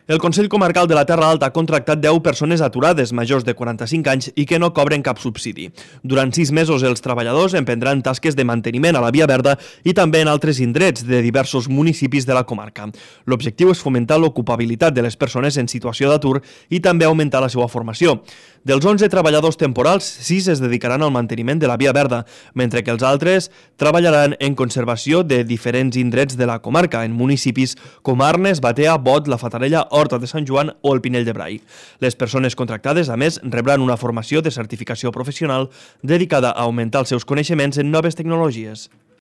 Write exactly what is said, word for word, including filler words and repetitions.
El Consell Comarcal de la Terra Alta ha contractat deu persones aturades majors de quaranta-cinc anys i que no cobren cap subsidi. Durant sis mesos els treballadors emprendran tasques de manteniment a la Via Verda i també en altres indrets de diversos municipis de la comarca. L'objectiu és fomentar l'ocupabilitat de les persones en situació d'atur i també augmentar la seva formació. Dels onze treballadors temporals, sis es dedicaran al manteniment de la Via Verda, mentre que els altres treballaran en conservació de diferents indrets de la comarca, en municipis com Arnes, Batea, Bot, La Fatarella, Horta de Sant Joan o el Pinell de Brai. Les persones contractades, a més, rebran una formació de certificació professional dedicada a augmentar els seus coneixements en noves tecnologies.